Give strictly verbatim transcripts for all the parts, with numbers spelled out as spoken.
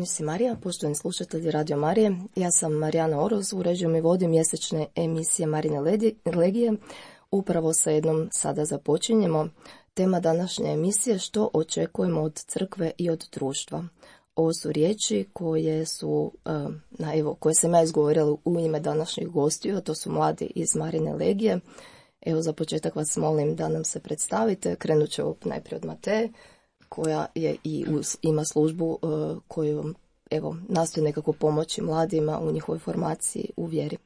misiji Marija, poštovani slušatelji Radio Marije. Ja sam Marijana Oroz, uređujem i vodim mjesečne emisije Marine Legije. Upravo sa jednom sada započinjemo. Tema današnje emisije: što očekujemo od crkve i od društva. Ovo su riječi koje su, na, evo, koje sam ja izgovorila u ime današnjih gostiju, a to su mladi iz Marine Legije. Evo, za početak vas molim da nam se predstavite. Krenut ću najprije od Mateje, koja je i uz, ima službu uh, koju evo, nastoji nekako pomoći mladima u njihovoj formaciji u vjeri.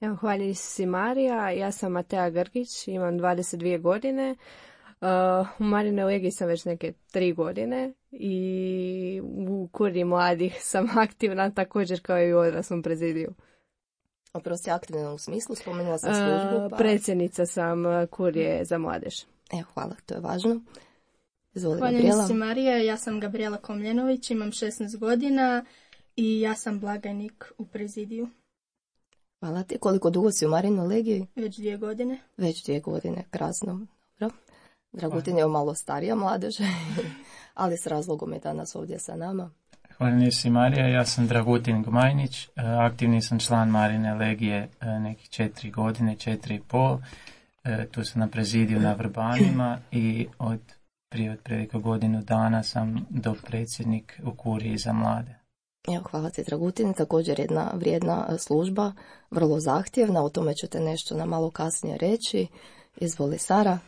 Evo, hvala Isusi Marija. Ja sam Mateja Grgić, imam dvadeset dvije godine. Uh, u Marine Legiji sam već neke tri godine i u kuriji mladih sam aktivna također kao i u odraslom prezidiju. Oprosti, aktivna u smislu, spomenula sam službu. Pa... Uh, predsjednica sam kurije za mladež. Evo, hvala, to je važno. Izvoli, hvala Gabriela. Isusi Marija, ja sam Gabriela Komljenović, imam šesnaest godina i ja sam blagajnik u prezidiju. Hvala ti. Koliko dugo si u Marinoj Legiji? Već dvije godine. Već dvije godine, krasno. Dobro. Dragutin je malo starija mladež, ali s razlogom je danas ovdje sa nama. Hvala Isusi Marija, ja sam Dragutin Gmajnić, aktivni sam član Marine Legije nekih četiri godine, četiri i pol. Tu sam na prezidiju na Vrbanima i od prije otprilike godinu dana sam dopredsjednik u kuriji za mlade. Evo, hvala ti Dragutin, također jedna vrijedna služba, vrlo zahtjevna, o tome ćete nešto na malo kasnije reći. Izvoli, Sara.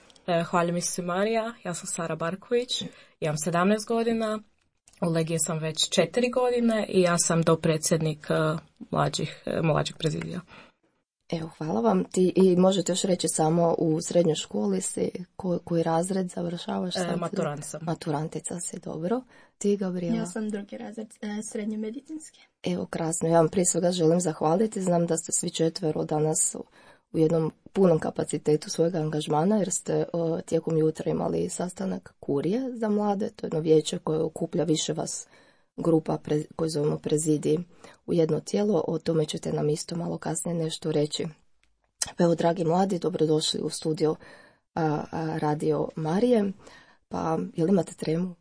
Hvala mi se Marija, ja sam Sara Barković, imam sedamnaest godina, u Legiji sam već četiri godine i ja sam dopredsjednik mlađih, mlađih prezidija. Evo, hvala vam. Ti i možete još reći samo u srednjoj školi si, ko, koji razred završavaš? Sad? E, maturant sam. Maturantica si, dobro. Ti, Gabriela? Ja sam drugi razred e, srednje medicinske. Evo, krasno. Ja vam prije svega želim zahvaliti. Znam da ste svi četvero danas u jednom punom kapacitetu svojeg angažmana, jer ste o, tijekom jutra imali sastanak kurije za mlade. To je jedno vijeće koje okuplja više vas grupa pre, koju zovemo prezidiji u jedno tijelo. O tome ćete nam isto malo kasnije nešto reći. Pa evo, dragi mladi, dobrodošli u studio a, a, Radio Marije. Pa, jel imate tremu?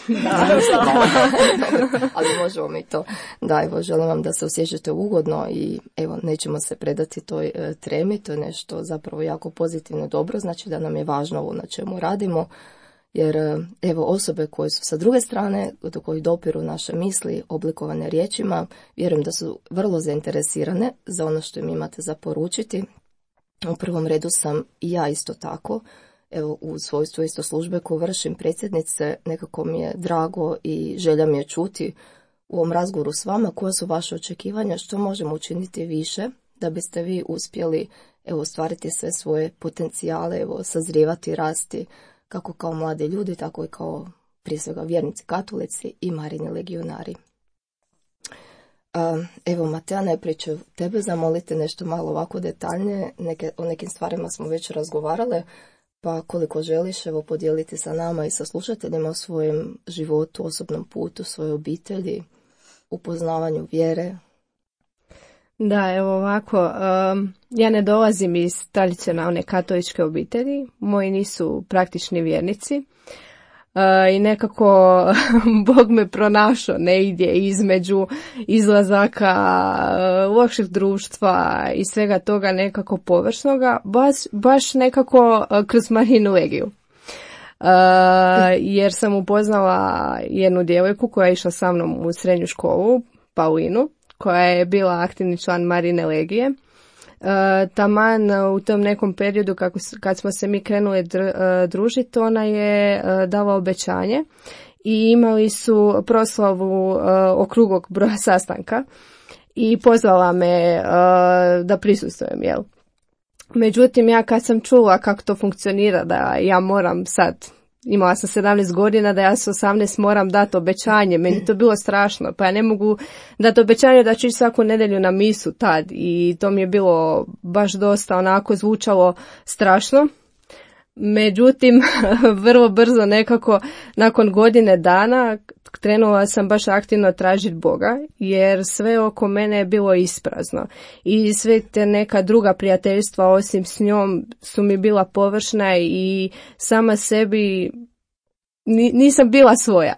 Da, ali možemo mi to. Da, evo, želim vam da se osjećate ugodno i evo, nećemo se predati toj e, tremi. To je nešto zapravo jako pozitivno dobro, znači da nam je važno ovo na čemu radimo. Jer evo, osobe koje su sa druge strane, do kojih dopiru naše misli oblikovane riječima, vjerujem da su vrlo zainteresirane za ono što im imate za poručiti. U prvom redu sam i ja isto tako, evo, u svojstvu isto službe koju vršim predsjednice, nekako mi je drago i želja mi je čuti u ovom razgovoru s vama koja su vaše očekivanja, što možemo učiniti više da biste vi uspjeli evo, ostvariti sve svoje potencijale, evo, sazrijevati, rasti, kako kao mladi ljudi, tako i kao prije svega vjernici katolici i Marini legionari. Evo, Mateja, najprije ću tebe zamoliti nešto malo ovako detaljnije. Neke, o nekim stvarima smo već razgovarale, pa koliko želiš evo, podijeliti sa nama i sa slušateljima o svojem životu, osobnom putu, svoje obitelji, upoznavanju vjere. Da, evo ovako, um, ja ne dolazim iz tradicionalne katoličke obitelji, moji nisu praktični vjernici uh, i nekako Bog me pronašao negdje između izlazaka uh, lošeg društva i svega toga nekako površnoga, baš, baš nekako uh, kroz Marinu Legiju. Uh, jer sam upoznala jednu djevojku koja je išla sa mnom u srednju školu, Paulinu, koja je bila aktivni član Marine Legije. Uh, taman u tom nekom periodu kako, kad smo se mi krenuli dr, uh, družiti, ona je uh, dala obećanje i imali su proslavu uh, okruglog broja sastanka i pozvala me uh, da prisustvujem, jel? Međutim, ja kad sam čula kako to funkcionira, da ja moram sad, imala sam sedamnaest godina, da ja s osamnaest moram dati obećanje, meni to bilo strašno, pa ja ne mogu dati obećanje da ću ići svaku nedjelju na misu tad i to mi je bilo baš dosta onako zvučalo strašno. Međutim, vrlo brzo nekako nakon godine dana krenula sam baš aktivno tražiti Boga, jer sve oko mene je bilo isprazno i sve te neka druga prijateljstva osim s njom su mi bila površna i sama sebi nisam bila svoja.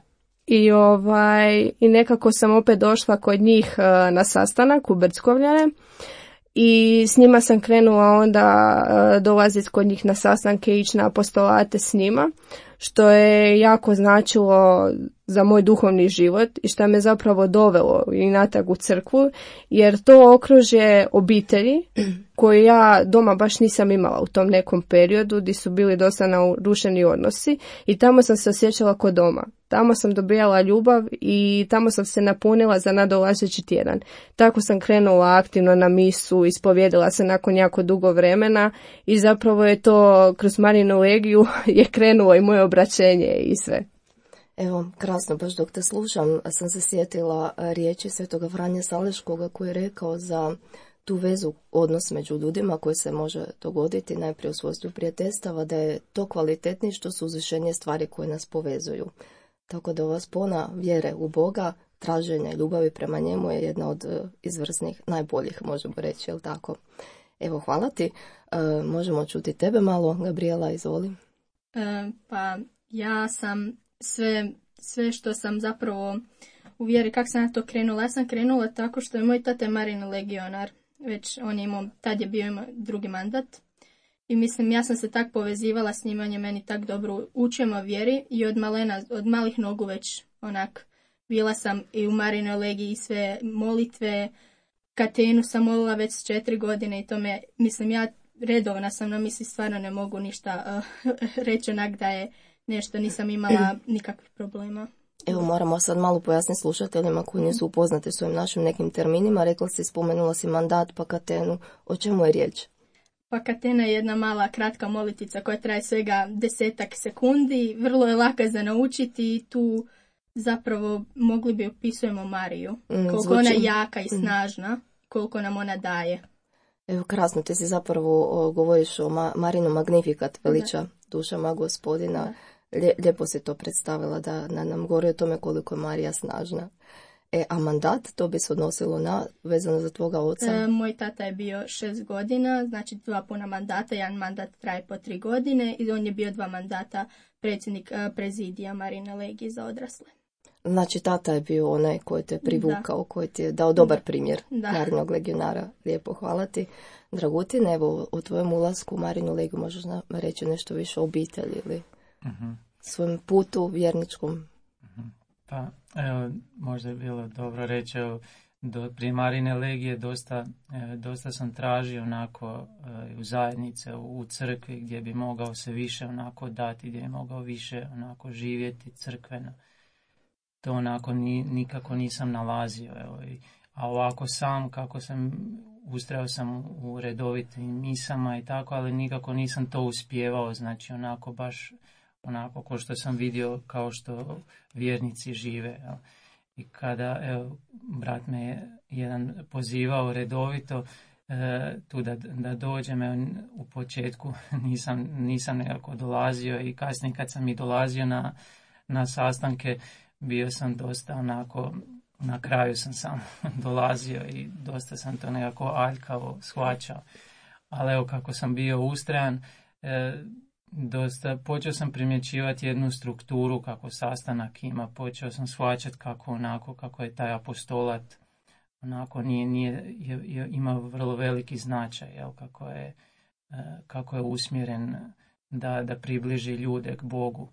I, ovaj, i nekako sam opet došla kod njih uh, na sastanak u Brckovljane i s njima sam krenula onda uh, dolaziti kod njih na sastanke i ići na apostolate s njima, što je jako značilo za moj duhovni život i što me zapravo dovelo i natrag u crkvu, jer to okružje obitelji koje ja doma baš nisam imala u tom nekom periodu gdje su bili dosta narušeni odnosi i tamo sam se osjećala kod doma. Tamo sam dobijala ljubav i tamo sam se napunila za nadolazeći tjedan. Tako sam krenula aktivno na misu, ispovjedila se nakon jako dugo vremena i zapravo je to kroz Marinu legiju je krenulo i moje obraćenje i sve. Evo, krasno, baš dok te slušam, sam se sjetila riječi svetoga Franje Saleškoga koji je rekao za tu vezu, odnos među ljudima koji se može dogoditi najprije u svojstvu prijateljstava, da je to kvalitetnije što su uzvišenije stvari koje nas povezuju. Tako da ova spona vjere u Boga, traženja i ljubavi prema njemu je jedna od izvrsnih, najboljih, možemo reći, jel tako? Evo, hvala ti. E, možemo čuti tebe malo, Gabriela, izvoli. E, pa ja sam sve, sve što sam zapravo u vjeri, kako sam ja to krenula, ja sam krenula tako što je moj tata Marin legionar, već on je imao, tad je bio ima drugi mandat. I mislim, ja sam se tak povezivala s njim, on je meni tak dobro učio o vjeri i od malena, od malih nogu već onak bila sam i u Marinoj legiji i sve molitve, katenu sam molila već s četiri godine i to me, mislim, ja redovna sam, no mislim stvarno ne mogu ništa uh, reći onak da je nešto, nisam imala nikakvih problema. Evo, moramo sad malo pojasniti slušateljima koji nisu upoznati s ovim našim nekim terminima. Rekla si, spomenula si mandat, pa katenu. O čemu je riječ? Pa katena je jedna mala kratka molitica koja traje svega desetak sekundi. Vrlo je laka za naučiti i tu zapravo mogli bi opisujemo Mariju. Mm, koliko zvuči... ona je jaka i snažna, koliko nam ona daje. Evo, krasno, ti si zapravo o, govoriš o Ma, Marinu Magnificat, veliča da. Dušama Gospodina. Da. Lijepo si to predstavila da nam govori o tome koliko je Marija snažna. E, a mandat, to bi se odnosilo na, vezano za tvoga oca? E, moj tata je bio šest godina, znači dva puna mandata, jedan mandat traje po tri godine i on je bio dva mandata predsjednik prezidija Marine legije za odrasle. Znači tata je bio onaj koji te privukao, da. Koji ti je dao dobar primjer da. Marinog legionara. Lijepo, hvala ti. Dragutin, evo, o tvojem ulasku u Marinu legiju možeš reći nešto više o obitelji ili... Uh-huh. Svojom putu vjerničkom. Uh-huh. Pa, evo, možda je bilo dobro reći, evo, do, prije Marine legije dosta, e, dosta sam tražio onako e, u zajednice, u, u crkvi gdje bi mogao se više onako dati, gdje bi mogao više onako živjeti crkveno. To onako ni, nikako nisam nalazio. Evo, i, a ovako sam, kako sam, ustrajao sam u redovitim misama i tako, ali nikako nisam to uspijevao, znači onako baš onako ko što sam vidio kao što vjernici žive. Jel? I kada, evo, brat me je jedan pozivao redovito e, tu da, da dođem, evo, u početku nisam, nisam nekako dolazio i kasnije kad sam i dolazio na, na sastanke bio sam dosta onako, na kraju sam sam dolazio i dosta sam to nekako aljkavo shvaćao. Ali evo kako sam bio ustrajan, e, dosta, počeo sam primjećivati jednu strukturu kako sastanak ima, počeo sam shvaćati kako onako, kako je taj apostolat onako nije, nije, je, je, ima vrlo veliki značaj, jel, kako je, kako je usmjeren da, da približi ljude k Bogu.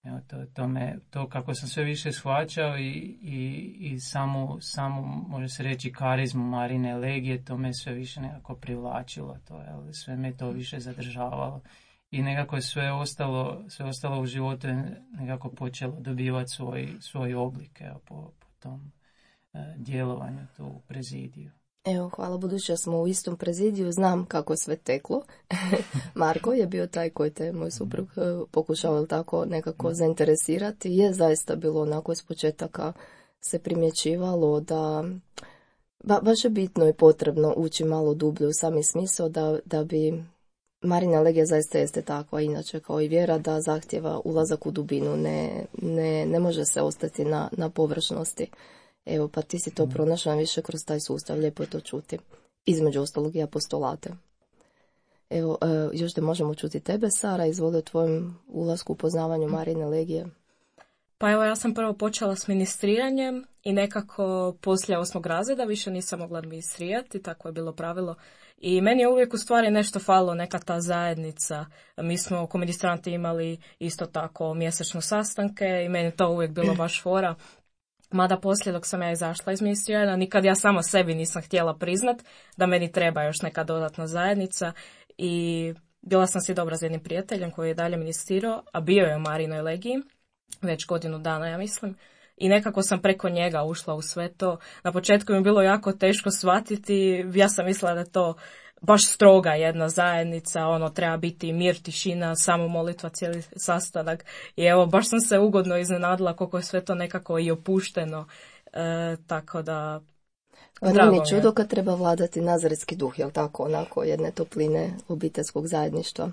Evo, to, to, me, to kako sam sve više shvaćao i, i, i samu, samu, može se reći, karizmu Marine legije, to me sve više nekako privlačilo, to, jel, sve me to više zadržavalo. I nekako je sve ostalo, sve ostalo u životu je nekako počelo dobivati svoj, svoj oblik, evo, po, po tom e, djelovanju tu u prezidiju. Evo, hvala, budući da smo u istom prezidiju, znam kako je sve teklo. Marko je bio taj koji te, moj suprug, pokušao tako nekako zainteresirati. Je zaista bilo onako iz početaka se primjećivalo da ba, baš je bitno i potrebno ući malo dublje u sami smisao da, da bi Marina legija zaista jeste takva, inače kao i vjera, da zahtjeva ulazak u dubinu, ne, ne, ne može se ostati na, na površnosti. Evo, pa ti si to pronašla više kroz taj sustav, lijepo je to čuti. Između ostalog i apostolate. Evo, još da možemo čuti tebe, Sara, izvoli o tvojem ulasku u poznavanju Marine legije. Pa evo, ja sam prvo počela s ministriranjem i nekako poslije osmog razreda više nisam mogla administrirati, tako je bilo pravilo. I meni je uvijek u stvari nešto falilo, neka ta zajednica. Mi smo oko ministranti imali isto tako mjesečno sastanke i meni je to uvijek bilo baš fora. Mada poslije dok sam ja izašla iz ministriranja, nikad ja samo sebi nisam htjela priznat da meni treba još neka dodatna zajednica i bila sam si dobra s jednim prijateljem koji je dalje ministrirao, a bio je u Marinoj legiji, već godinu dana ja mislim. I nekako sam preko njega ušla u sve to. Na početku mi je bilo jako teško shvatiti, ja sam mislila da je to baš stroga jedna zajednica, ono treba biti mir, tišina, samo molitva cijeli sastanak. I evo, baš sam se ugodno iznenadila koliko je sve to nekako i opušteno, e, tako da... Nije mi čudo kad treba vladati nazaretski duh, jel tako, onako jedne topline obiteljskog zajedništva.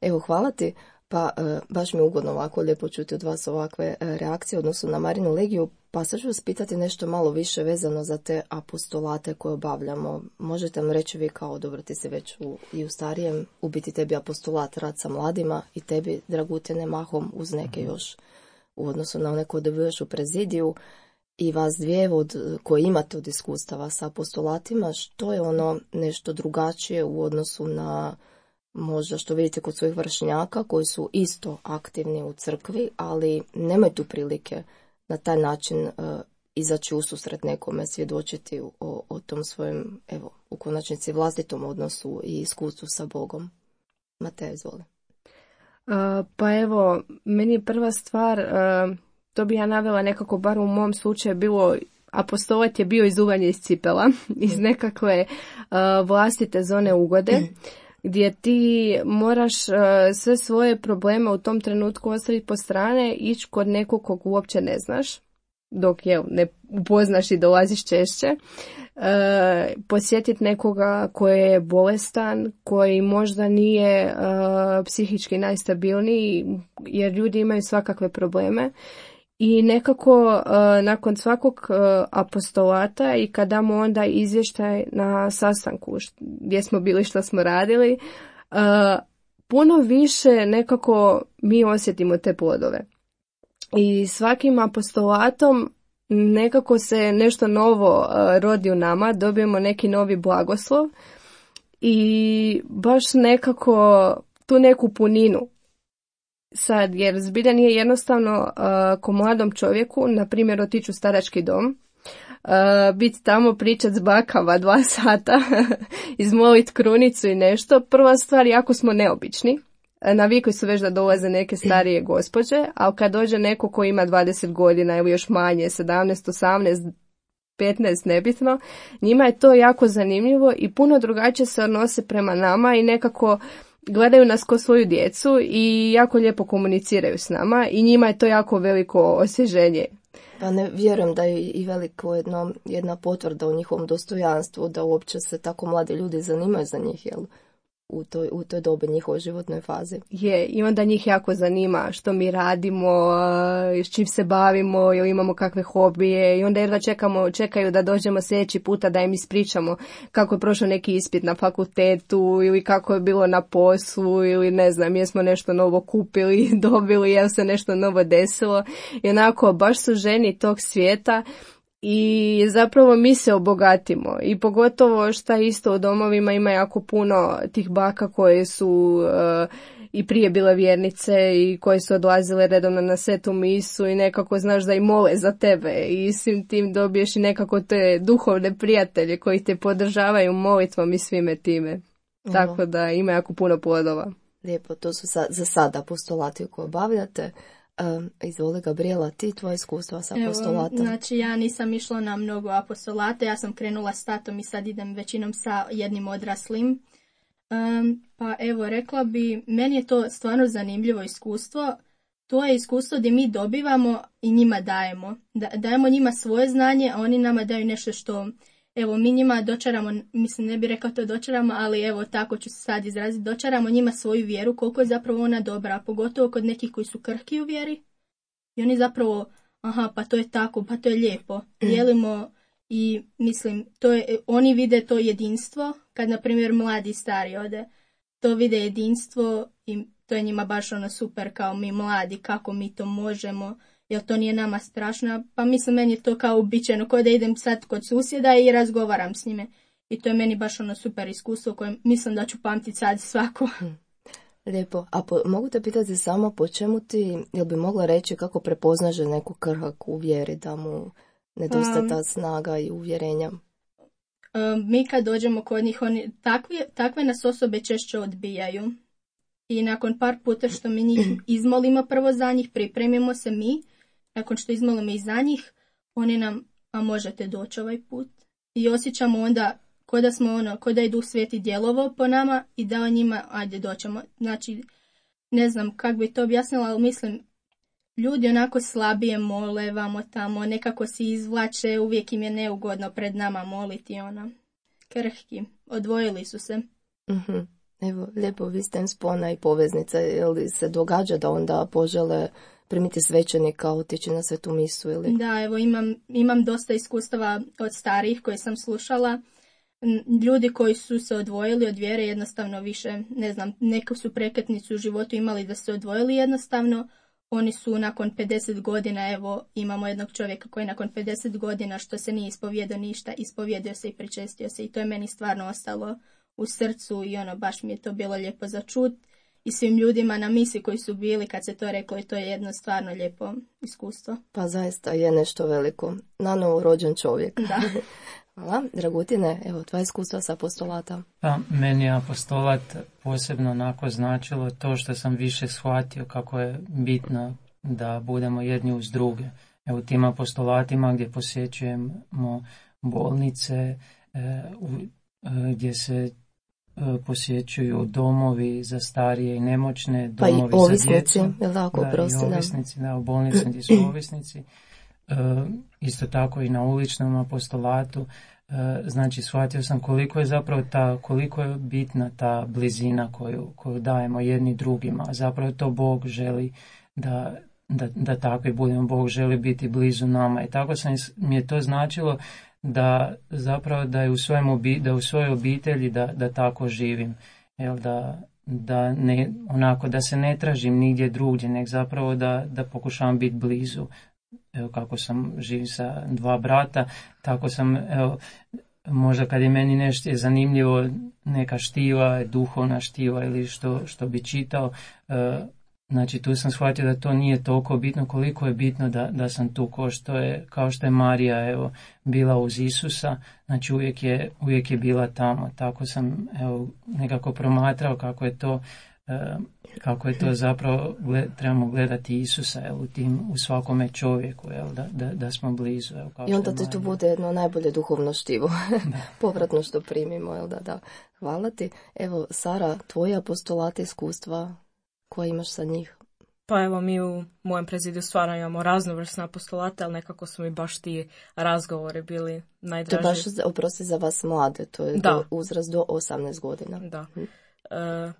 Evo, hvala ti. Pa baš mi je ugodno ovako lijepo čuti od vas ovakve reakcije odnosno na Marinu legiju. Pa sad ću vas pitati nešto malo više vezano za te apostolate koje obavljamo. Možete nam reći vi kao, dobro, ti si već u, i u starijem, u biti tebi apostolat rad sa mladima i tebi, Dragutine, mahom uz neke još u odnosu na one koje dobiješ u prezidiju i vas dvije od, koje imate od iskustava sa apostolatima, što je ono nešto drugačije u odnosu na možda što vidite kod svojih vršnjaka koji su isto aktivni u crkvi, ali nemaju tu prilike na taj način uh, izaći u susret nekome, svjedočiti o, o tom svojem, evo, u konačnici vlastitom odnosu i iskustvu sa Bogom. Mateja, izvoli. Uh, pa evo, meni je prva stvar, uh, to bi ja navela nekako, bar u mom slučaju, bilo apostolat je bio izuvanje iz cipela, iz nekakve uh, vlastite zone ugode, gdje ti moraš uh, sve svoje probleme u tom trenutku ostaviti po strane, ići kod nekog kog uopće ne znaš, dok je ne upoznaš i dolaziš češće, uh, posjetiti nekoga koji je bolestan, koji možda nije uh, psihički najstabilniji, jer ljudi imaju svakakve probleme. I nekako uh, nakon svakog uh, apostolata i kad damo onda izvještaj na sastanku gdje smo bili, što smo radili, uh, puno više nekako mi osjetimo te plodove. I svakim apostolatom nekako se nešto novo uh, rodi u nama, dobijemo neki novi blagoslov i baš nekako tu neku puninu. Sad, jer zbilja nije jednostavno uh, ko mladom čovjeku, na primjer, otići u starački dom, uh, biti tamo, pričat s bakama dva sata, izmolit krunicu i nešto. Prva stvar, jako smo neobični. Navikli su već da dolaze neke starije gospođe, ali kad dođe neko ko ima dvadeset godina ili još manje, sedamnaest, osamnaest, petnaest, nebitno, njima je to jako zanimljivo i puno drugačije se odnose prema nama i nekako gledaju nas ko svoju djecu i jako lijepo komuniciraju s nama i njima je to jako veliko osvježenje. Pa ne vjerujem da je i veliko jedno, jedna potvrda u njihovom dostojanstvu da uopće se tako mladi ljudi zanimaju za njih, jel? U toj, u toj dobi njihovoj životnoj fazi. Je, i onda njih jako zanima što mi radimo, s čim se bavimo, ili imamo kakve hobije i onda jedva čekamo, čekaju da dođemo sljedeći puta da im ispričamo kako je prošao neki ispit na fakultetu ili kako je bilo na poslu ili ne znam, jesmo nešto novo kupili, dobili, jel se nešto novo desilo i onako baš su ženi tog svijeta. I zapravo mi se obogatimo i pogotovo šta isto u domovima ima jako puno tih baka koje su uh, i prije bile vjernice i koje su odlazile redovno na svetu misu i nekako znaš da i mole za tebe i svim tim dobiješ i nekako te duhovne prijatelje koji te podržavaju molitvom i svime time. Uh-huh. Tako da ima jako puno plodova. Lijepo, to su sa, za sada apostolati koje obavljate. Um, izvoli, Gabriela, ti tvoje iskustva sa apostolatom? Evo, znači ja nisam išla na mnogo apostolata, ja sam krenula s tatom i sad idem većinom sa jednim odraslim. Um, pa evo, rekla bi, meni je to stvarno zanimljivo iskustvo. To je iskustvo gdje mi dobivamo i njima dajemo. Da, dajemo njima svoje znanje, a oni nama daju nešto što... Evo, mi njima dočaramo, mislim ne bih rekao to dočaramo, ali evo tako ću se sad izraziti, dočaramo njima svoju vjeru, koliko je zapravo ona dobra, pogotovo kod nekih koji su krhki u vjeri. I oni zapravo, aha, pa to je tako, pa to je lijepo. Dijelimo i mislim, to je, oni vide to jedinstvo, kad na primjer mladi i stari ode, to vide jedinstvo i to je njima baš ono super kao mi mladi, kako mi to možemo. jer to nije nama strašno. Pa mislim, meni je to kao uobičajeno, kao da idem sad kod susjeda i razgovaram s njime. I to je meni baš ono super iskustvo koje mislim da ću pamtiti sad svako. Lijepo. A po, mogu te pitati samo po čemu ti, jel bi mogla reći kako prepoznaže neku krhak u vjeri, da mu nedostaje ta snaga i uvjerenja? Um, mi kad dođemo kod njih, oni, takvi, takve nas osobe češće odbijaju. I nakon par puta što mi njih izmolimo prvo za njih, pripremimo se mi, nakon što izmolimo i za njih, oni nam, a možete doći ovaj put. I osjećamo onda ko da smo ono, ko da je Duh Sveti djelovao po nama i dao njima, ajde doćemo. Znači, ne znam kako bi to objasnila, ali mislim, ljudi onako slabije mole vamo tamo, nekako se izvlače, uvijek im je neugodno pred nama moliti, ono, krhki, odvojili su se. Mm-hmm. Evo, lijepo, vi ste spona i poveznica, je li se događa da onda požele primiti svećenika, otići na svetu misu ili? Da, evo, imam, imam dosta iskustava od starijih koje sam slušala. Ljudi koji su se odvojili od vjere jednostavno više, ne znam, neku su prekretnicu u životu imali da se odvojili jednostavno. Oni su nakon pedeset godina, evo, imamo jednog čovjeka koji nakon pedeset godina što se nije ispovjedao ništa, ispovjedio se i pričestio se i to je meni stvarno ostalo u srcu i ono, baš mi je to bilo lijepo za čut. I svim ljudima na misi koji su bili kad se to reklo i to je jedno stvarno lijepo iskustvo. Pa zaista je nešto veliko. Nanovo rođen čovjek. Da. Hvala. Dragutine, evo, tvoje iskustva sa apostolata. Pa, meni je apostolat posebno onako značilo to što sam više shvatio kako je bitno da budemo jedni uz druge. Evo, tim apostolatima gdje posjećujemo bolnice, e, u, e, gdje se posjećuju domovi za starije i nemoćne, domovi pa i ovisnici, za djecu. Je tako, da, prosti, i ovisnici, da, u bolnici gdje su ovisnici. E, isto tako i na uličnom apostolatu. E, znači, shvatio sam koliko je zapravo ta, koliko je bitna ta blizina koju, koju dajemo jedni drugima. Zapravo to Bog želi da, da, da takvi budemo. Bog želi biti blizu nama. I tako sam, mi je to značilo da zapravo da je u svojem obi, da u svojoj obitelji da, da tako živim, jel, da, da ne onako da se ne tražim nigdje drugdje, nek zapravo da, da pokušavam biti blizu. Evo, kako sam živ sa dva brata, tako sam, evo, možda kad je meni nešto je zanimljivo, neka štiva, duhovna štiva ili što, što bi čitao, e, znači tu sam shvatio da to nije toliko bitno koliko je bitno da, da sam tu kao što je, kao što je Marija, evo, bila uz Isusa, znači uvijek je, uvijek je bila tamo. Tako sam, evo, nekako promatrao kako je to, e, kako je to zapravo, gled, trebamo gledati Isusa, evo, u, tim, u svakome čovjeku, evo, da, da, da smo blizu. Evo, kao i onda ti tu bude jedno najbolje duhovno štivo, povratno što primimo, jel da, da. Hvala ti. Evo, Sara, tvoje apostolate, iskustva koje imaš sa njih? Pa evo, mi u mojem prezidiju stvarno imamo raznovrsne apostolate, ali nekako su mi baš ti razgovori bili najdraži. To je baš, oprosti, za vas mlade, to je do, uzrast do osamnaest godina. Da. Hm. E,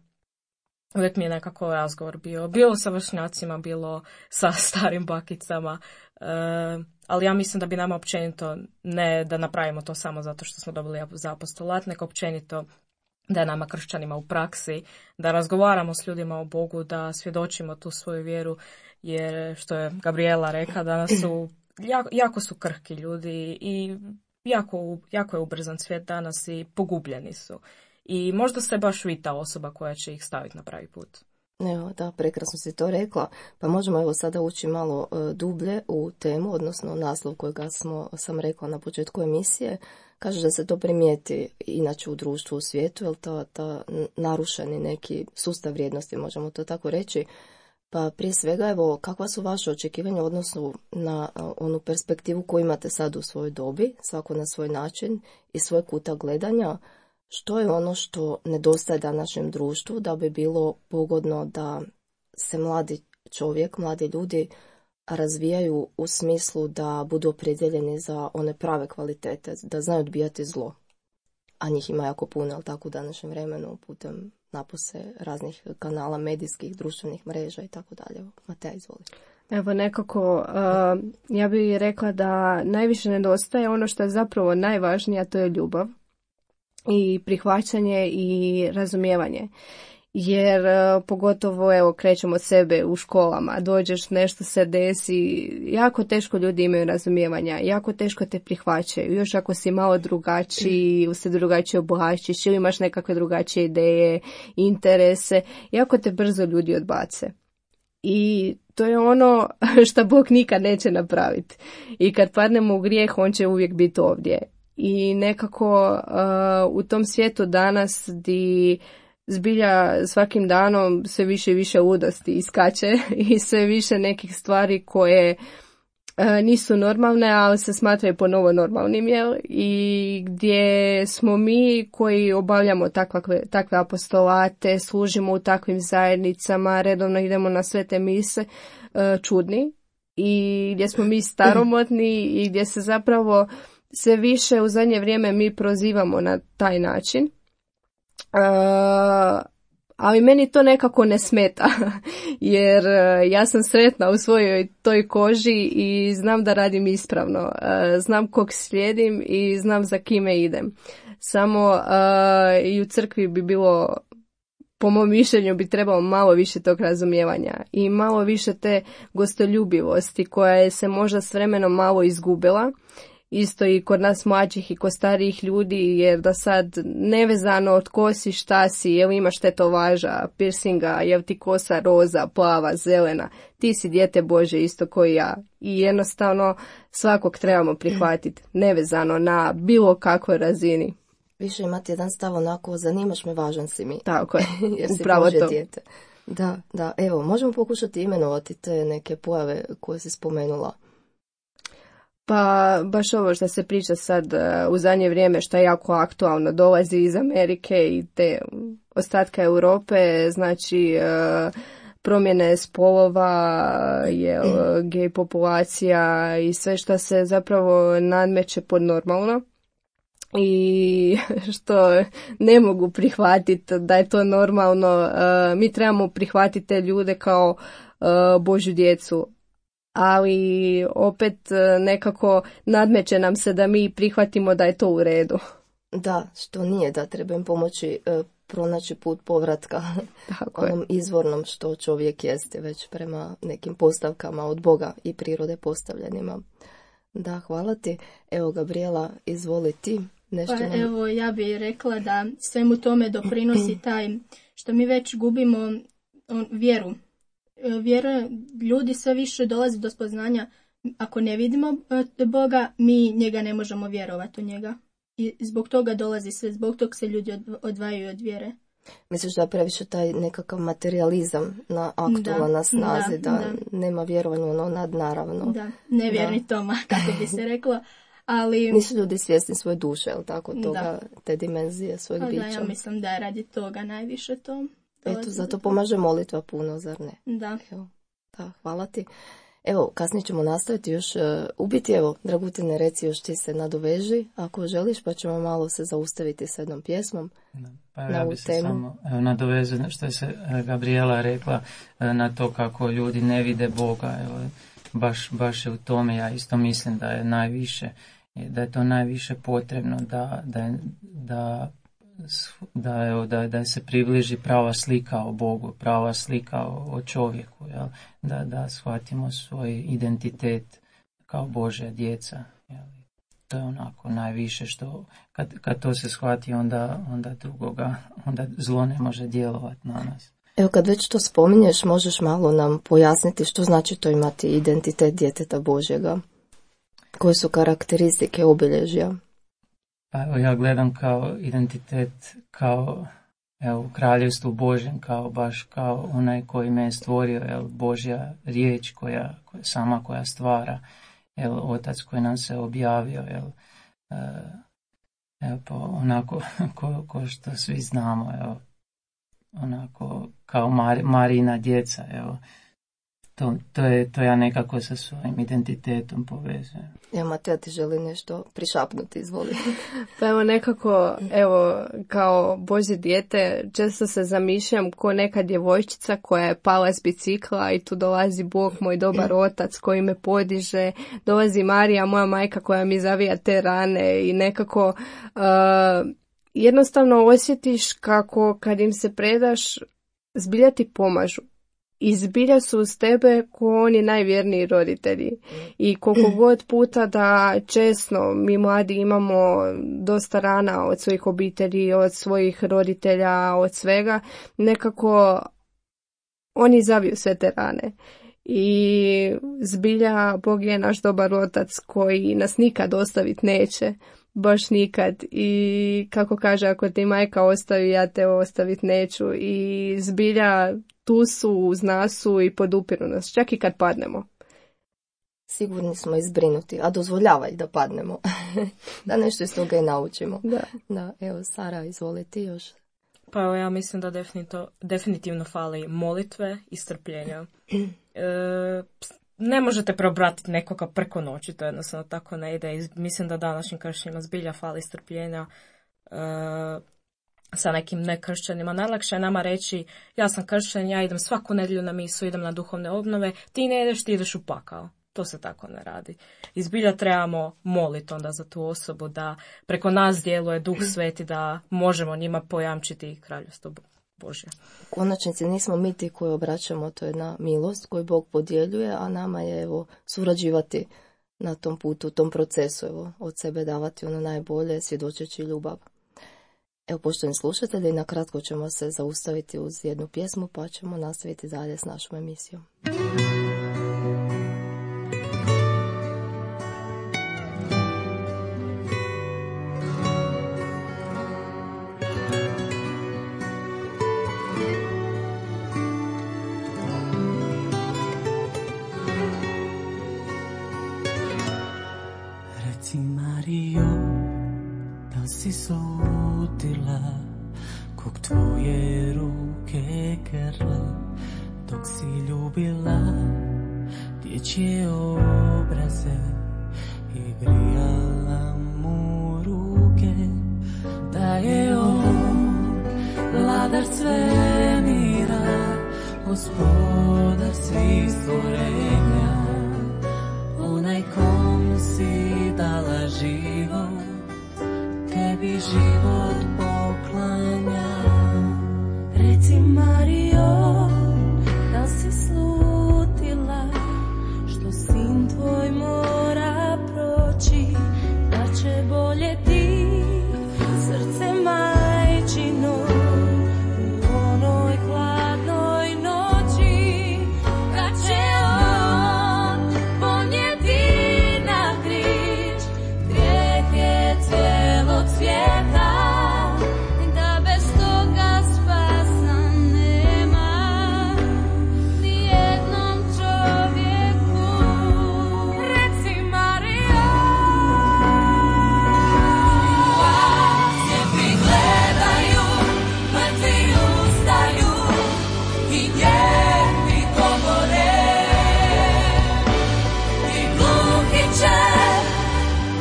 uvijek mi je nekako razgovor bio, bilo sa vršnjacima, bilo sa starim bakicama, e, ali ja mislim da bi nama općenito, ne da napravimo to samo zato što smo dobili za apostolat, nego općenito da je nama kršćanima u praksi, da razgovaramo s ljudima o Bogu, da svjedočimo tu svoju vjeru, jer što je Gabriela rekla, danas su, jako, jako su krhki ljudi i jako, jako je ubrzan svijet danas i pogubljeni su. I možda se baš vi ta osoba koja će ih staviti na pravi put. Evo, da, prekrasno si to rekla. Pa možemo evo sada ući malo e, dublje u temu, odnosno naslov kojega smo, sam rekla na početku emisije. Kaže da se to primijeti inače u društvu, u svijetu, jer ta, ta narušeni neki sustav vrijednosti, možemo to tako reći. Pa prije svega, evo, kakva su vaše očekivanja odnosno na onu perspektivu koju imate sad u svojoj dobi, svako na svoj način i svoj kuta gledanja? Što je ono što nedostaje današnjem društvu da bi bilo pogodno da se mladi čovjek, mladi ljudi razvijaju u smislu da budu opredjeljeni za one prave kvalitete, da znaju odbijati zlo. A njih ima jako puno, ali tako u današnjem vremenu putem napose raznih kanala, medijskih, društvenih mreža i tako dalje. Mateja, izvoli. Evo nekako, uh, ja bih rekla da najviše nedostaje ono što je zapravo najvažnije, a to je ljubav i prihvaćanje i razumijevanje. jer uh, pogotovo evo krećemo od sebe u školama, dođeš, nešto se desi, jako teško ljudi imaju razumijevanja, jako teško te prihvaćaju, još ako si malo drugačiji, se drugačije oblačiš ili imaš nekakve drugačije ideje, interese, jako te brzo ljudi odbace. I to je ono što Bog nikad neće napraviti. I kad padnemo u grijeh, on će uvijek biti ovdje. I nekako uh, u tom svijetu danas di zbilja svakim danom sve više i više ludosti iskače i sve više nekih stvari koje e, nisu normalne, ali se smatraju ponovo normalnim, jel? I gdje smo mi koji obavljamo takve, takve apostolate, služimo u takvim zajednicama, redovno idemo na sve te mise, e, čudni, i gdje smo mi staromodni i gdje se zapravo sve više u zadnje vrijeme mi prozivamo na taj način. Uh, ali meni to nekako ne smeta, jer uh, ja sam sretna u svojoj toj koži i znam da radim ispravno, uh, znam kog slijedim i znam za kime idem. Samo uh, i u crkvi bi bilo, po mom mišljenju, bi trebalo malo više tog razumijevanja i malo više te gostoljubivosti koja je se možda s vremenom malo izgubila. Isto i kod nas mlađih i kod starijih ljudi, jer da sad nevezano od ko si, šta si, jel imaš tetovaža, piercinga, jel ti kosa roza, plava, zelena, ti si dijete Bože isto koji ja. I jednostavno svakog trebamo prihvatiti, nevezano na bilo kakvoj razini. Više imati jedan stav onako, zanimaš me, važan si mi. Tako je, jer si upravo Božje to. dijete. Da, da, evo, možemo pokušati imenovati te neke pojave koje si spomenula. Pa baš ovo što se priča sad uh, u zadnje vrijeme, što je jako aktualno, dolazi iz Amerike i te ostatka Europe, znači uh, promjene spolova, je gej populacija i sve što se zapravo nadmeće pod normalno i što ne mogu prihvatiti da je to normalno. Uh, mi trebamo prihvatiti te ljude kao uh, Božju djecu. Ali opet nekako nadmeće nam se da mi prihvatimo da je to u redu. Da, što nije, da treba im pomoći e, pronaći put povratka Tako onom je. izvornom što čovjek jeste, već prema nekim postavkama od Boga i prirode postavljenima. Da, hvala ti. Evo, Gabriela, izvoli ti. Nešto Pa nam... evo, ja bih rekla da svemu tome doprinosi taj što mi već gubimo on, vjeru. Vjera, ljudi sve više dolazi do spoznanja, ako ne vidimo Boga, mi njega ne možemo vjerovati u njega. I zbog toga dolazi sve, zbog toga se ljudi odvajaju od vjere. Misliš da je previše taj nekakav materializam na aktualan na snazi, da, da, da nema vjerovanja ono nadnaravno. Da, nevjerni da. Toma, kako bi se reklo. Ali nisu ljudi svjesni svoje duše, jel tako, toga, da. Te dimenzije svojeg da, bića. Ja mislim da je radi toga najviše to. Eto, zato pomaže molitva puno, zar ne? Da. Evo, da, hvala ti. Evo, kasnije ćemo nastaviti još uh, ubiti. Evo, Dragutine, reci još ti se nadoveži ako želiš, pa ćemo malo se zaustaviti s jednom pjesmom. Pa na ja ovu bi se temu. samo evo, nadovezao što je se Gabriela rekla na to kako ljudi ne vide Boga. Evo, baš, baš je u tome, ja isto mislim da je najviše, da je to najviše potrebno da, da, da Da, evo, da, da se približi prava slika o Bogu, prava slika o, o čovjeku, jel? Da, da shvatimo svoj identitet kao Božja djeca. Jel? To je onako najviše što, kad, kad to se shvati, onda, onda drugoga, onda zlo ne može djelovati na nas. Evo, kad već to spominješ, možeš malo nam pojasniti što znači to imati identitet djeteta Božjega? Koje su karakteristike, obilježja? Pa evo, ja gledam kao identitet, kao evo, u kraljevstvu Božjem, kao baš kao onaj koji me je stvorio, jel, Božja riječ koja, koja sama koja stvara, jel, Otac koji nam se objavio, jel, e, evo, po, onako ko, ko što svi znamo, evo, onako kao Mar, Marina djeca, evo. To, to, je, to ja nekako sa svojim identitetom povezujem. Evo, Matija, ti želi nešto prišapnuti, izvoli. Pa evo nekako, evo, kao Božje dijete, često se zamišljam ko neka djevojčica koja je pala s bicikla i tu dolazi Bog, moj dobar otac koji me podiže, dolazi Marija, moja majka koja mi zavija te rane i nekako uh, jednostavno osjetiš kako kad im se predaš, zbilja ti pomažu. I zbilja su uz tebe ko oni najvjerniji roditelji. I koliko god puta da često mi mladi imamo dosta rana od svojih obitelji, od svojih roditelja, od svega, nekako oni zaviju sve te rane. I zbilja Bog je naš dobar otac koji nas nikad ostaviti neće. Baš nikad. I kako kaže, ako ti majka ostavi, ja te ostaviti neću. I zbilja tu su, uz nas su i podupiru nas, čak i kad padnemo. Sigurni smo izbrinuti, a dozvoljavaj da padnemo. Da nešto iz toga i naučimo. Da. Da, evo, Sara, izvoli ti još. Pa evo, ja mislim da definitivno, definitivno fali molitve i strpljenja. E, ne možete preobratiti nekoga preko noći, to jednostavno tako ne ide. I mislim da današnjim kršćanima zbilja fali strpljenja e, sa nekim nekršćanima. Najlakše je nama reći, ja sam kršćan, ja idem svaku nedjelju na misu, idem na duhovne obnove, ti ne ideš, ti ideš u pakao. To se tako ne radi. I zbilja trebamo moliti onda za tu osobu da preko nas djeluje Duh Sveti, da možemo njima pojamčiti kraljevstvo Božje. U konačnici nismo mi ti koji obraćamo, to je jedna milost koju Bog podjeljuje, a nama je evo surađivati na tom putu, u tom procesu, evo, od sebe davati ono najbolje, svjedočeći ljubav. Evo, poštovani slušatelji, na kratko ćemo se zaustaviti uz jednu pjesmu, pa ćemo nastaviti dalje s našom emisijom. Si slutila kog tvoje ruke grle, dok si ljubila dječje obraze i grijala mu ruke, da je on vladar svemira, gospodar svih stvorenja, onaj kom si dala život, tebi život poklanja. Reci, Marijo, da si slutila što sin tvoj mora proći, da će boljeti srce majčino u onoj hladnoj noći, kad će on ponijeti na križ grijeh je cijelog svijeta, da bez toga spasa nema ni jednom čovjeku. Reci, Marijo, slijepi gledaju, mrtvi ustaju i nijemi govore, i gluhi će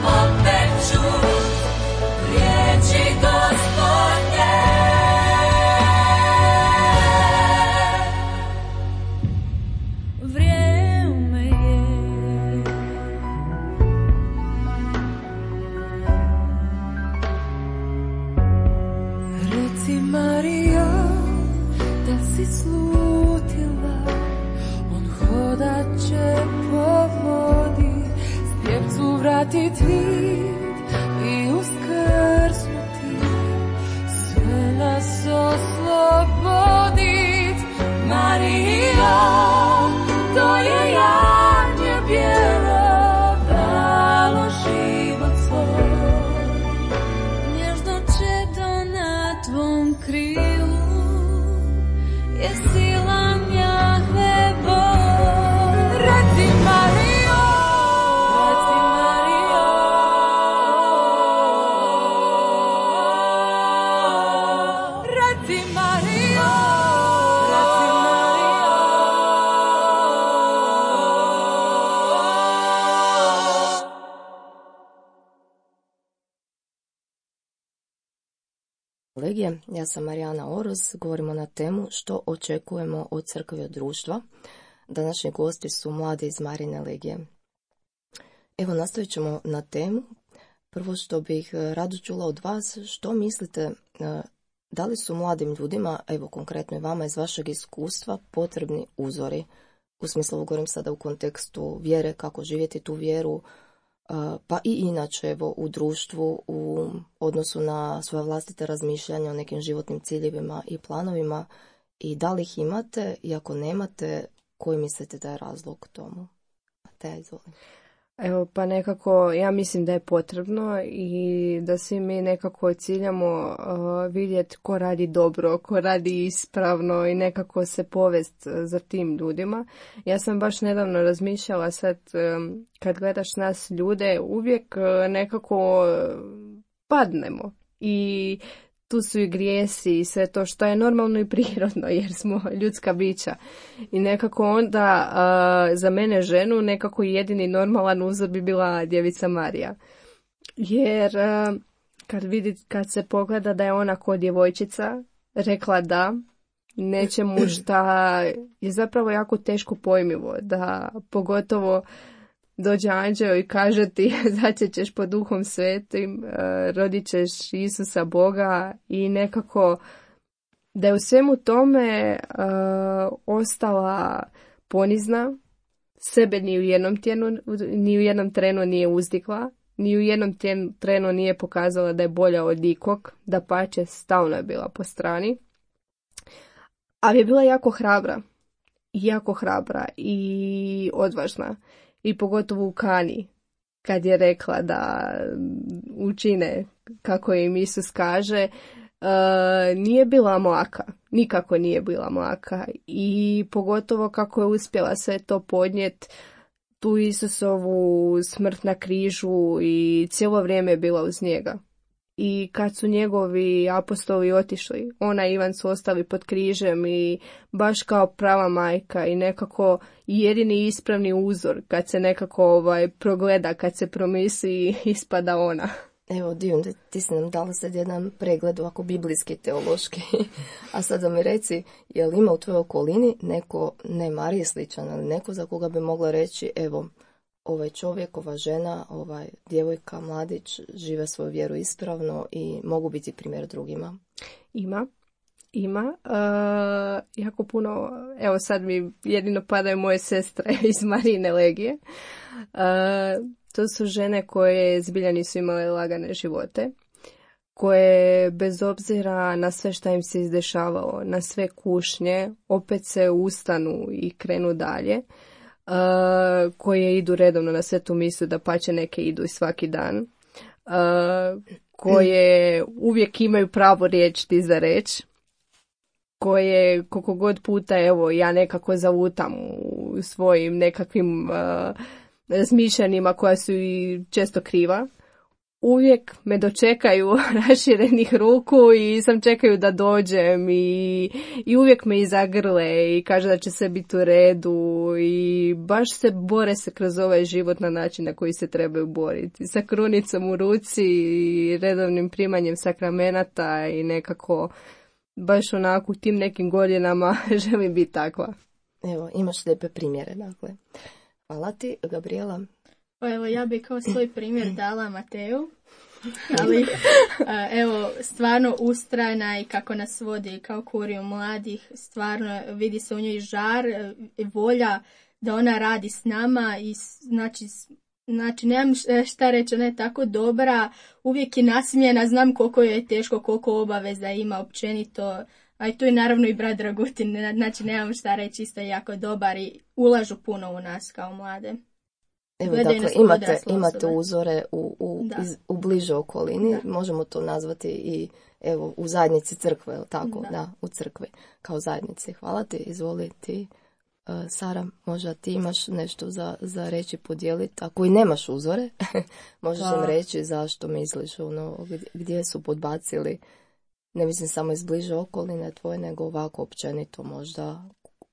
opet čut riječi Gospodnje. Vrijeme je. Reci, Marijo, da si slutila, on hodat će po vodi, slijepcu vratit vid i uskrsnuti, sve nas oslobodit. Marijo, to je janje bijelo, dalo život svoj, nježno čedo na tvom krilu je sila Jahve Bog. Reci, Marijo, reci, Marijo, reci, Marijo, reci, Marijo. Kolegije, ja sam Marijana Oroz, govorimo na temu što očekujemo od crkve i od društva. Današnji gosti su mladi iz Marijine legije. Evo, nastavit ćemo na temu. Prvo što bih rado čula od vas, što mislite da li su mladim ljudima, evo konkretno i vama iz vašeg iskustva, potrebni uzori? U smislu, govorim sada u kontekstu vjere, kako živjeti tu vjeru, pa i inače evo, u društvu, u odnosu na svoje vlastite razmišljanja o nekim životnim ciljevima i planovima, i da li ih imate, i ako nemate, koji mislite da je razlog tomu? Te, izvolim. Evo, pa nekako ja mislim da je potrebno i da svi mi nekako ciljamo uh, vidjeti ko radi dobro, ko radi ispravno i nekako se povest za tim ljudima. Ja sam baš nedavno razmišljala sad um, kad gledaš nas ljude, uvijek uh, nekako padnemo i tu su i grijesi i sve to što je normalno i prirodno jer smo ljudska bića. I nekako onda uh, za mene ženu nekako jedini normalan uzor bi bila djevica Marija. Jer uh, kad vidi, kad se pogleda da je ona ko djevojčica rekla da nečemu šta je zapravo jako teško pojmivo, da pogotovo dođe anđeo i kaže ti začećeš pod Duhom Svetim, rodit ćeš Isusa Boga i nekako da je u svemu tome uh, ostala ponizna, sebe ni u jednom tjenu, ni u jednom trenu nije uzdigla, ni u jednom tjenu, trenu nije pokazala da je bolja od ikog, da pače stalno je bila po strani, ali je bila jako hrabra, jako hrabra i odvažna. I pogotovo u Kani, kad je rekla da učine kako im Isus kaže, uh, nije bila mlaka, nikako nije bila mlaka. I pogotovo kako je uspjela sve to podnijeti, tu Isusovu smrt na križu i cijelo vrijeme je bila uz njega. I kad su njegovi apostoli otišli, ona i Ivan su ostali pod križem i baš kao prava majka i nekako jedini ispravni uzor kad se nekako ovaj, progleda, kad se promisli, ispada ona. Evo, Dijun, ti si nam dala sad jedan pregled ovako biblijski, teološki. A sad da mi reci, je li ima u tvojoj okolini neko, ne Mariji sličan, ali neko za koga bi mogla reći, evo, ovaj čovjek, ova žena, ovaj djevojka, mladić žive svoju vjeru ispravno i mogu biti primjer drugima? Ima, ima. Uh, jako puno, evo sad mi jedino padaju moje sestre iz Marijine legije. Uh, to su žene koje zbilja nisu imale lagane živote, koje bez obzira na sve šta im se izdešavalo, na sve kušnje, opet se ustanu i krenu dalje. Uh, koje idu redovno na svetu misu, da pače neke idu i svaki dan, uh, koje uvijek imaju pravo riječ ti za reč, koje koliko god puta evo ja nekako zavutam u svojim nekakvim uh, razmišljanjima koja su i često kriva, uvijek me dočekaju raširenih ruku i sam čekaju da dođem i, i uvijek me izagrle i kaže da će sve biti u redu i baš se bore se kroz ovaj život na način na koji se trebaju boriti. Sa krunicom u ruci i redovnim primanjem sakramenata i nekako baš onako u tim nekim godinama želim biti takva. Evo, imaš lijepe primjere, dakle. Hvala ti, Gabriela. Pa evo, ja bih kao svoj primjer dala Mateju, ali evo, stvarno ustrajna i kako nas vodi kao kuriju mladih, stvarno vidi se u njoj žar, volja da ona radi s nama i znači, znači nemam šta reći, ona je tako dobra, uvijek je nasmijena, znam koliko joj je teško, koliko obaveza ima općenito, a i tu je naravno i brat Dragutin, znači nemam šta reći, isto je jako dobar i ulažu puno u nas kao mlade. Evo, dakle, imate, imate uzore u, u, iz, u bližoj okolini, da. Možemo to nazvati i evo, u zajednici crkve, tako, da. da, u crkvi, kao zajednici. Hvala ti, izvoli ti. Uh, Sara, možda ti imaš nešto za, za reći, podijeliti, ako i nemaš uzore, možeš da. nam reći zašto misliš, ono, gdje, gdje su podbacili, ne mislim samo iz bliže okoline tvoje, nego ovako općenito možda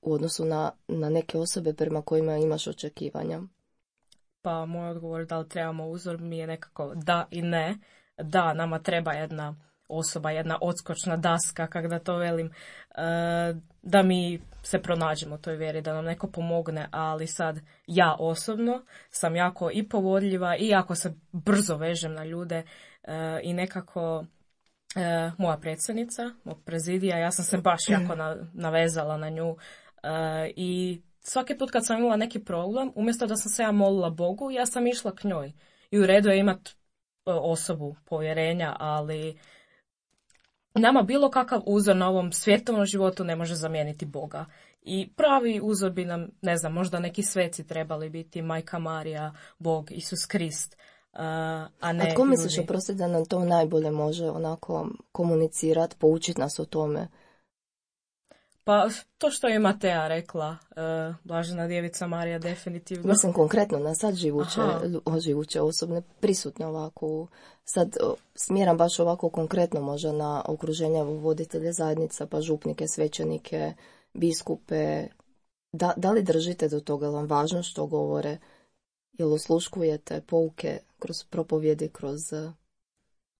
u odnosu na, na neke osobe prema kojima imaš očekivanja. Pa moj odgovor da li trebamo uzor mi je nekako da i ne. Da, nama treba jedna osoba, jedna odskočna daska, kako da to velim, da mi se pronađemo u toj vjeri, da nam neko pomogne, ali sad ja osobno sam jako i povodljiva i jako se brzo vežem na ljude i nekako e, moja predsjednica, mog prezidija, ja sam se baš jako na, navezala na nju e, i svaki put kad sam imala neki problem, umjesto da sam se ja molila Bogu, ja sam išla k njoj. I u redu je imat e, osobu povjerenja, ali nama bilo kakav uzor na ovom svjetovnom životu ne može zamijeniti Boga. I pravi uzor bi nam, ne znam, možda neki sveci trebali biti, Majka Marija, Bog, Isus Krist, uh, a ne A tko misliš, ljudi. oprosti, da nam to najbolje može onako komunicirati, poučiti nas o tome? Pa to što je Matea rekla, uh, Blažena djevica Marija, definitivno. Mislim konkretno na sad živuće, Aha. živuće osobne, prisutne ovako, sad o, smjeram baš ovako konkretno možda na okruženja voditelje zajednica, pa župnike, svećenike, biskupe. Da, da li držite do toga, je vam važno što govore? Jel osluškujete pouke kroz propovjedi, kroz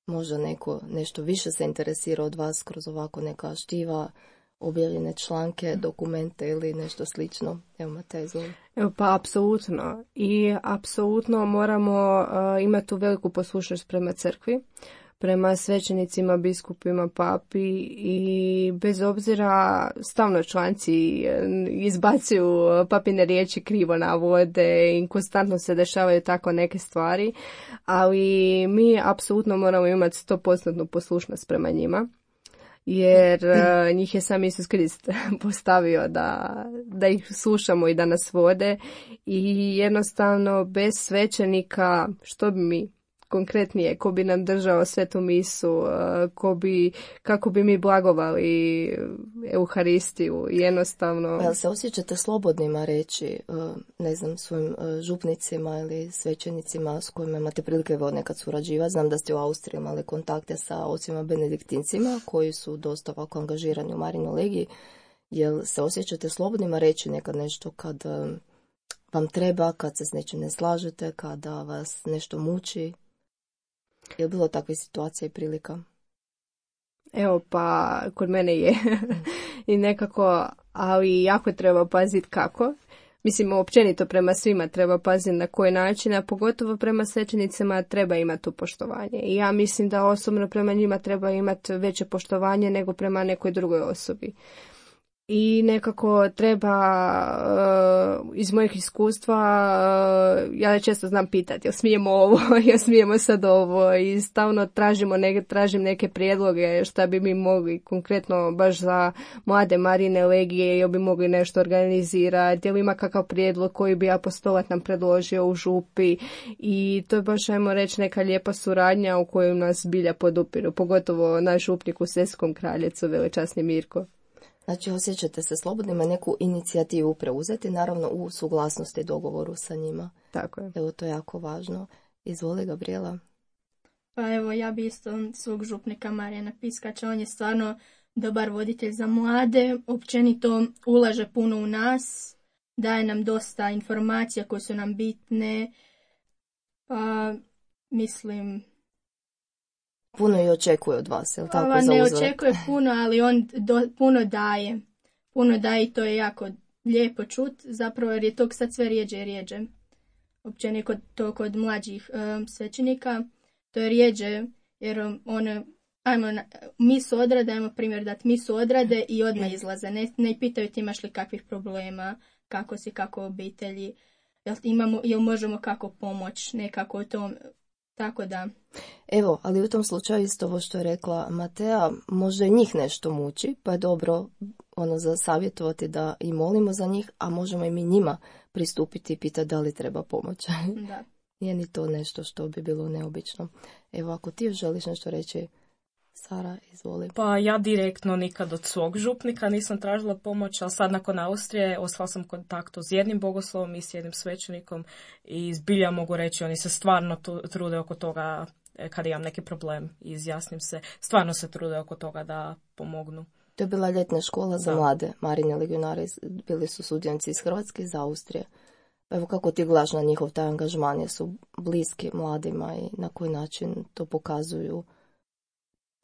možda neko nešto više se interesira od vas kroz ovako neka štiva, objavljene članke, dokumente ili nešto slično? Evo, Matej, izvoli. Evo, pa apsolutno. I apsolutno moramo uh, imati tu veliku poslušnost prema crkvi, prema svećenicima, biskupima, papi i bez obzira stalno članci izbacuju papine riječi, krivo navode i konstantno se dešavaju tako neke stvari, ali mi apsolutno moramo imati sto posto poslušnost prema njima. Jer uh, njih je sam Isus Krist postavio da, da ih slušamo i da nas vode i jednostavno bez svećenika što bi mi konkretnije, ko bi nam držao svetu misu, uh, ko bi, kako bi mi blagovali Euharistiju, jednostavno. Pa jel se osjećate slobodnima reći, uh, ne znam, svojim uh, župnicima ili svećenicima s kojima imate prilike evo nekad surađivati? Znam da ste u Austriji imali kontakte sa ocima benediktincima koji su dosta ovako angažirani u Marinoj legiji. Jel se osjećate slobodnima reći nekad nešto kad uh, vam treba, kad se s nečim ne slažete, kada vas nešto muči? Je li bilo takve situacije i prilika? Evo, pa kod mene je i nekako, ali jako treba paziti kako. Mislim, općenito prema svima treba paziti na koji način, a pogotovo prema svećenicima treba imati to poštovanje. I ja mislim da osobno prema njima treba imati veće poštovanje nego prema nekoj drugoj osobi. I nekako treba, uh, iz mojih iskustva, uh, ja često znam pitati, jel smijemo ovo, jel smijemo sad ovo, i stalno tražimo neke, tražim neke prijedloge šta bi mi mogli konkretno baš za mlade Marine legije, jel bi mogli nešto organizirati, jel ima kakav prijedlog koji bi apostolat nam predložio u župi, i to je baš, ajmo reći, neka lijepa suradnja u kojoj nas bilja podupiru, pogotovo naš župnik u Seskom Kraljecu, velečasni Mirko. Znači, osjećate se slobodnima neku inicijativu preuzeti, naravno u suglasnosti i dogovoru sa njima. Tako je. Evo, to je jako važno. Izvoli, Gabriela. Pa evo, ja bi isto svog župnika Marijana Piskača, on je stvarno dobar voditelj za mlade, općenito ulaže puno u nas, daje nam dosta informacija koje su nam bitne, pa mislim... Puno i očekuje od vas, je li tako? Ova ne uzvrat? očekuje puno, ali on do, puno daje. Puno daje i to je jako lijepo čut, zapravo jer je tog sad sve rijeđe i rijeđe. Općenito kod, to kod mlađih um, svećenika, to je rijeđe jer one, ajmo, misu odrade, ajmo primjer dati misu odrade i odmah izlaze. Ne, ne pitaju ti imaš li kakvih problema, kako si, kako obitelji, jel, imamo, jel možemo kako pomoć, nekako u tom, tako da... Evo, ali u tom slučaju isto ovo što je rekla Matea, možda i njih nešto muči, pa je dobro ono za savjetovati da i molimo za njih, a možemo i mi njima pristupiti i pitati da li treba pomoć. Da. Nije ni to nešto što bi bilo neobično. Evo, ako ti želiš nešto reći, Sara, izvoli. Pa ja direktno nikad od svog župnika nisam tražila pomoć, ali sad nakon Austrije ostala sam u kontaktu s jednim bogoslovom i s jednim svećenikom i zbilja mogu reći, oni se stvarno trude oko toga kad imam neki problem i izjasnim se, stvarno se trude oko toga da pomognu. To je bila ljetna škola za Da. mlade Marine legionare, bili su sudionici iz Hrvatske i iz Austrije. Pa evo, kako ti gledaš na njihov taj angažman, jer su bliski mladima i na koji način to pokazuju,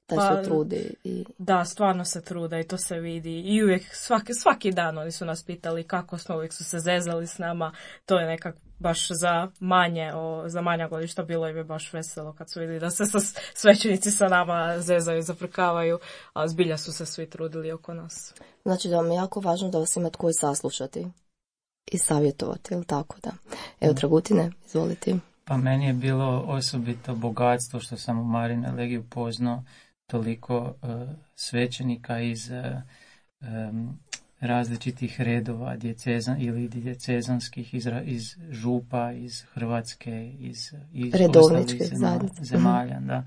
taj Pa, se trudi i... Da, stvarno se trude i to se vidi i uvijek svaki, svaki dan oni su nas pitali kako smo, uvijek su se zezali s nama, to je nekak baš za manje, o, za manja godišta bilo im je baš veselo kad su vidjeli da se sa, svećenici sa nama zezaju, zaprkavaju, a zbilja su se svi trudili oko nas. Znači da vam je jako važno da vas ima tko i saslušati i savjetovati, je li tako da? Evo, Dragutine, izvolite. Pa meni je bilo osobito bogatstvo što sam u Marijinoj legiji upoznao toliko uh, svećenika iz uh, um, različitih redova djecezan, ili djecezanskih iz, iz župa, iz Hrvatske, iz, iz redovničke zemalja, zemalja da.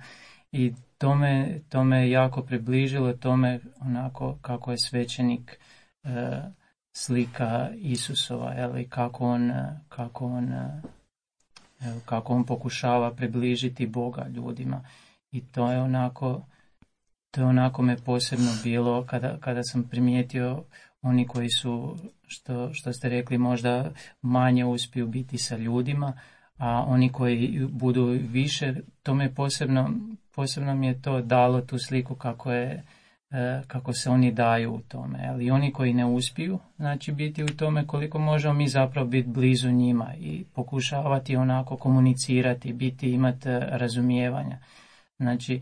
I to me, to me jako približilo tome onako kako je svećenik uh, slika Isusova, ali kako on, kako on kako on pokušava približiti Boga ljudima. I to je onako, to je onako me posebno bilo kada, kada sam primijetio oni koji su, što, što ste rekli, možda manje uspiju biti sa ljudima, a oni koji budu više, to me posebno, posebno mi je to dalo tu sliku kako je, kako se oni daju u tome. Ali oni koji ne uspiju, znači biti u tome koliko možemo mi zapravo biti blizu njima i pokušavati onako komunicirati, biti, imati razumijevanja. Znači,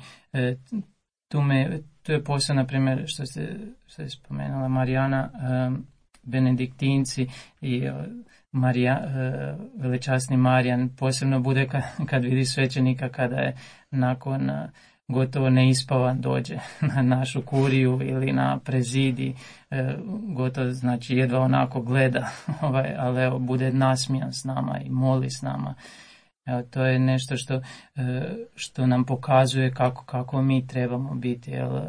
tu, me, tu je posebno, na primjer, što ste, što je spomenula Marijana, benediktinci i Marija, velečasni Marijan posebno bude kad, kad vidi svećenika kada je nakon gotovo neispavan dođe na našu kuriju ili na prezidi, e, gotovo znači jedva onako gleda, ovaj, ali evo, bude nasmijan s nama i moli s nama. Evo, to je nešto što, e, što nam pokazuje kako, kako mi trebamo biti, jel, e,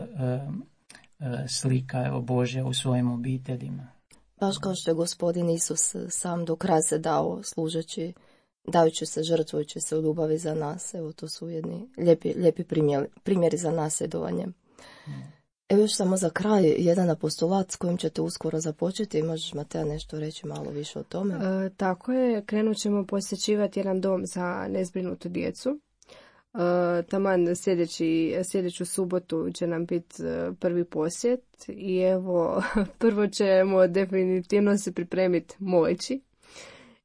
e, slika, evo, Božja u svojim obiteljima. Baš kao što je Gospodin Isus sam do kraja se dao služeći, dajući se, žrtvujući se u ljubavi za nas. Evo, to su jedni lijepi, lijepi primjeri, primjeri za nasljedovanje. Mm. Evo još samo za kraj jedan apostolat s kojim ćete uskoro započeti. Možeš, Mateja, nešto reći malo više o tome? E, tako je, krenut ćemo posjećivati jedan dom za nezbrinutu djecu. E, taman sljedeći, sljedeću subotu će nam biti prvi posjet i evo, prvo ćemo definitivno se pripremiti moći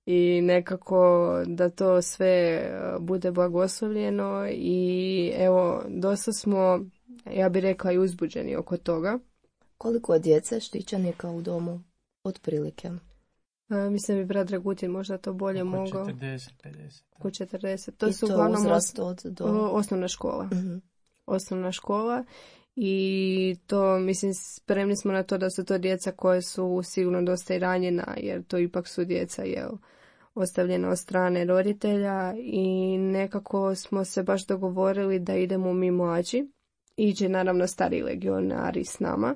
i nekako da to sve bude blagoslovljeno i evo, dosta smo, ja bih rekla, i uzbuđeni oko toga. Koliko je djece štićenika u domu? Otprilike. E, mislim bi brat Dragutin možda to bolje oko mogao. četrdeset pedeset. Oko četrdeset. To I su to uglavnom uzrast od do... osnovna škola. Mm-hmm. Osnovna škola i to, mislim, spremni smo na to da su to djeca koje su sigurno dosta i ranjena, jer to ipak su djeca, jel, ostavljena od strane roditelja i nekako smo se baš dogovorili da idemo mi mlađi. Iđe naravno stari legionari s nama,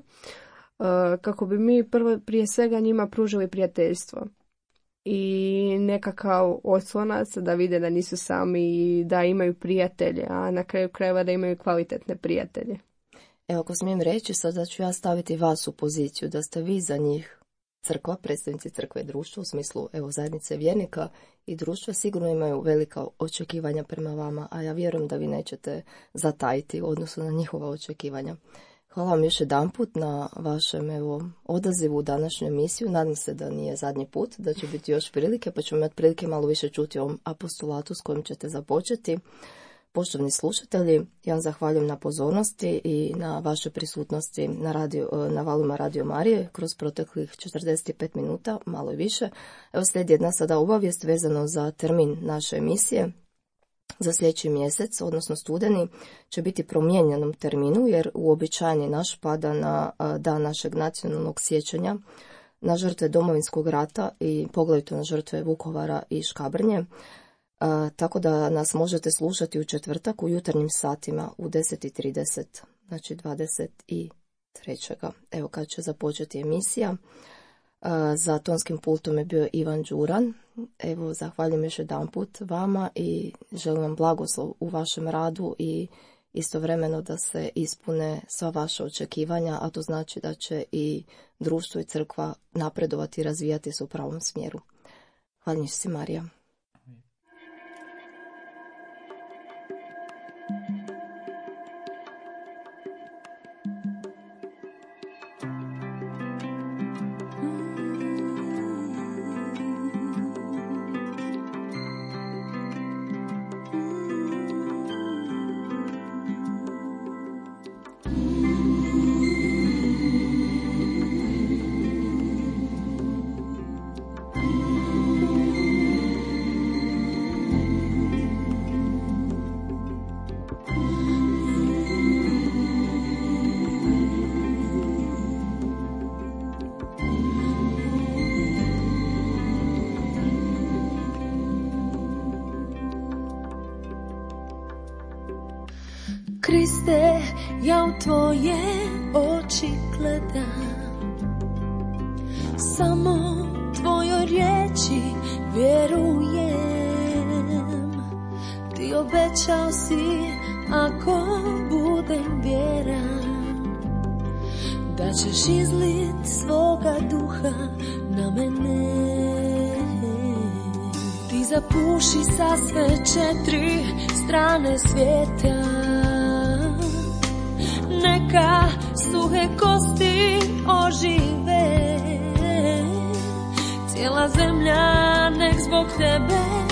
kako bi mi prvo, prije svega njima pružili prijateljstvo i nekakav oslonac da vide da nisu sami i da imaju prijatelje, a na kraju krajeva da imaju kvalitetne prijatelje. Evo, ako smijem reći, sada ću ja staviti vas u poziciju da ste vi za njih crkva, predstavnici crkve i društva, u smislu, evo, zajednice vjernika i društva sigurno imaju velika očekivanja prema vama, a ja vjerujem da vi nećete zatajiti u odnosu na njihova očekivanja. Hvala vam još jedanput na vašem, evo, odazivu u današnju emisiju. Nadam se da nije zadnji put, da će biti još prilike, pa ćemo imati prilike malo više čuti o ovom apostolatu s kojim ćete započeti. Poštovni slušatelji, ja vam zahvaljujem na pozornosti i na vašoj prisutnosti na, radio, na valuma Radio Marije kroz proteklih četrdeset pet minuta, malo i više. Evo, slijedi jedna sada obavijest vezano za termin naše emisije. Za sljedeći mjesec, odnosno studeni, će biti promijenjenom terminu jer uobičajeni naš pada na dan našeg nacionalnog sjećanja na žrtve Domovinskog rata i poglavito na žrtve Vukovara i Škabrnje. A, tako da nas možete slušati u četvrtak u jutarnjim satima u deset i trideset, znači dvadeset trećega Evo kad će započeti emisija. A, za tonskim pultom je bio Ivan Đuran. Evo, zahvaljujem još jedan put vama i želim vam blagoslov u vašem radu i istovremeno da se ispune sva vaša očekivanja, a to znači da će i društvo i crkva napredovati i razvijati se u pravom smjeru. Hvala si, Marija. Kriste, ja u tvoje oči gledam, samo tvojoj riječi vjerujem. Ti obećao si, ako budem vjeran, da ćeš izlit svoga duha na mene. Ti zapuši sa sve četiri strane svijeta, neka suhe kosti ožive, cijela zemlja nek zbog tebe